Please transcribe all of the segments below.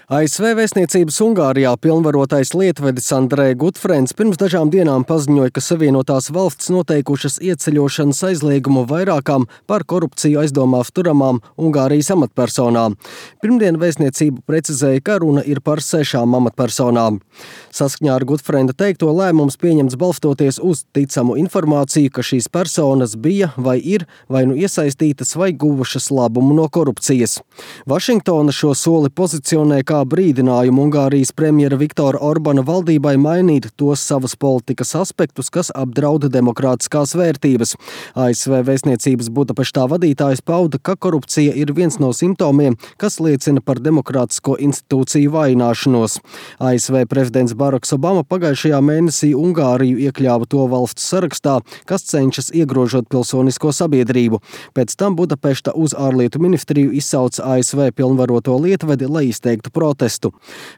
ASV vēstniecības Ungārijā pilnvarotais lietvedis Andrej Gutfrens pirms dažām dienām paziņoja, ka Savienotās valstis noteikušas ieceļošanas aizliegumu vairākām par korupciju aizdomās turamām Ungārijas amatpersonām. Pirmdien vēstniecība precizēja, ka runa ir par 6 amatpersonām. Saskaņā ar Gutfrenda teikto lēmums pieņemts balstoties uz ticamu informāciju, ka šīs personas bija vai ir vai nu iesaistītas vai guvušas labumu no korupcijas. Vašingtona šo soli pozicionē kā brīdinājumu Ungārijas premjera Viktora Orbana valdībai mainīt tos savas politikas aspektus, kas apdraud demokrātiskās vērtības. ASV vēstniecības Budapeštā vadītājs pauda, ka korupcija ir viens no simptomiem, kas liecina par demokrātisko institūciju vājināšanos. ASV prezidents Baraks Obama pagājušajā mēnesī Ungāriju iekļāva to valstu sarakstā, kas cenšas iegrožot pilsonisko sabiedrību. Pēc tam Budapešta uz ārlietu ministriju izsauca ASV pilnvaroto lietvedi, lai izteiktu protestu.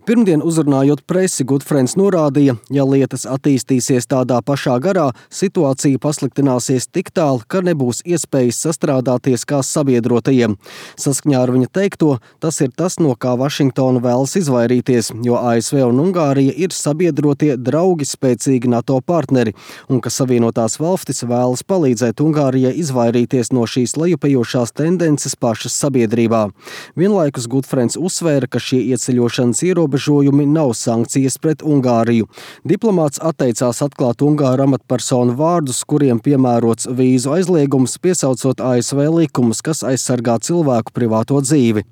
Pirmdien uzrunājot presi, Gutfrens norādīja, ja lietas attīstīsies tādā pašā garā, situācija pasliktināsies tik tālu, ka nebūs iespējas sastrādāties kā sabiedrotajiem. Saskaņā ar viņa teikto, tas ir tas, no kā Vašingtona vēlas izvairīties, jo ASV un Ungārija ir sabiedrotie draugi spēcīgi NATO partneri, un ka Savienotās valstis vēlas palīdzēt Ungārijai izvairīties no šīs lejupējošās tendences pašas sabiedrībā. Vienlaikus Gutfrens uzsvēra, ka šie ieceļošanas ierobežojumi nav sankcijas pret Ungāriju. Diplomāts atteicās atklāt Ungāru amatpersonu vārdus, kuriem piemērots vīzu aizliegums, piesaucot ASV likumus, kas aizsargā cilvēku privāto dzīvi.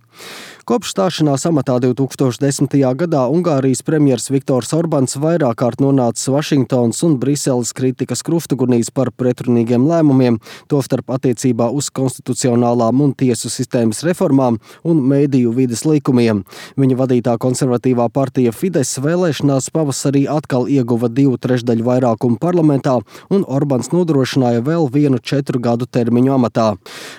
Kopš stāšanās amatā 2010. gadā Ungārijas premjers Viktors Orbans vairāk kārt nonācis Vašingtonas un Briseles kritikas kruftugunīs par pretrunīgiem lēmumiem, tostarp attiecībā uz konstitucionālām un tiesu sistēmas reformām un mediju vides likumiem. Viņa vadītā konservatīvā partija Fides vēlēšanās pavasarī atkal ieguva 2/3 vairākumu parlamentā, un Orbans nodrošināja vēl vienu 4 gadu termiņu amatā.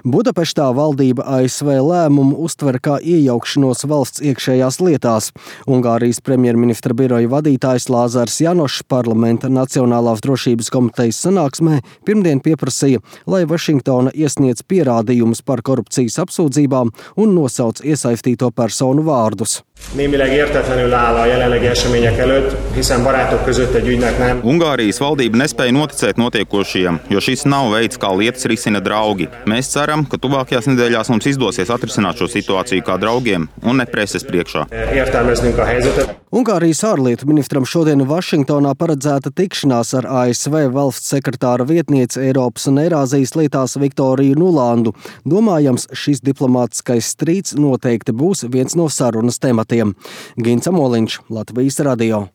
Budapeštā valdība ASV lēmumu uztver kā iejaukšanos valsts iekšējās lietās. Ungārijas premjerministra biroja vadītājs Lāzars Janošs parlamenta Nacionālās drošības komitejas sanāksmē pirmdien pieprasīja, lai Vašingtona iesniedz pierādījumus par korupcijas apsūdzībām un nosauc iesaistīto personu vārdus. Némileg értetlenül áll a jelenlegi események előtt, hiszen barátok között egy ügynek nem. Ungārijas valdība nespēja noticēt notiekošajam, jo šis nav veids, kā lietas risina draugi. Mēs ceram, ka tuvākajās nedēļās mums izdosies atrisināt šo situāciju kā draugiem un ne preses priekšā. Értelmeznünk a helyzetet. Ungārijas ārlietu ministram šodien Vašingtonā paredzēta tikšanās ar ASV valsts sekretāra vietnieci Eiropas un Eirāzijas lietās Viktoriju Nulandu. Domājams, šis diplomātiskais strīds noteikti būs viens no sarunas tematiem. Gins Amoliņš, Latvijas radio.